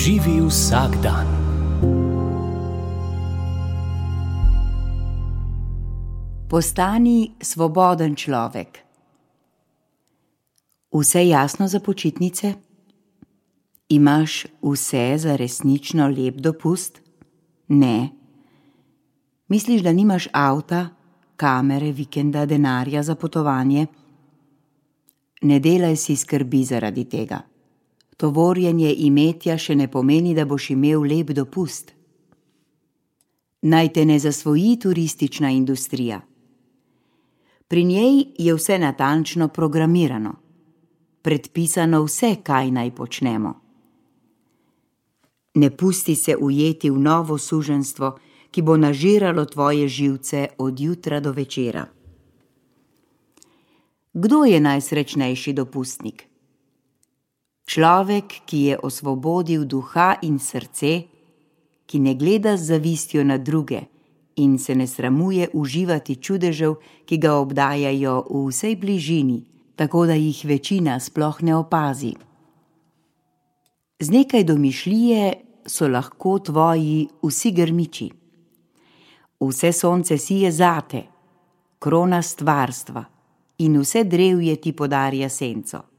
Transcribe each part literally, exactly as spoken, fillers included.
Živi vsak dan. Postani svoboden človek. Vse jasno za počitnice? Imaš vse za resnično lep dopust? Ne. Misliš, da nimaš avta, kamere, vikenda, denarja za potovanje? Ne delaj si skrbi zaradi tega. Tovorjenje imetja še ne pomeni, da boš imel lep dopust. Naj te ne zasvoji turistična industrija. Pri njej je vse natančno programirano, predpisano vse, kaj naj počnemo. Ne pusti se ujeti v novo suženjstvo, ki bo nažiralo tvoje živce od jutra do večera. Kdo je najsrečnejši dopustnik? Človek, ki je osvobodil duha in srce, ki ne gleda z zavistjo na druge in se ne sramuje uživati čudežev, ki ga obdajajo v vsej bližini, tako da jih večina sploh ne opazi. Z nekaj domišljije so lahko tvoji vsi grmiči. Vse sonce sije zate, krona stvarstva, in vse drevje ti podarja senco.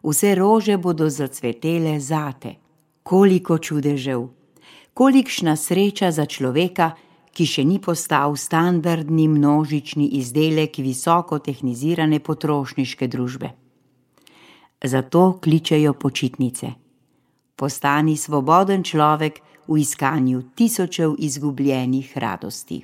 Vse rože bodo zacvetele zate. Koliko čudežev, kolikšna sreča za človeka, ki še ni postal standardni množični izdelek visoko tehnizirane potrošniške družbe. Zato kličejo počitnice. Postani svoboden človek v iskanju tisočev izgubljenih radosti.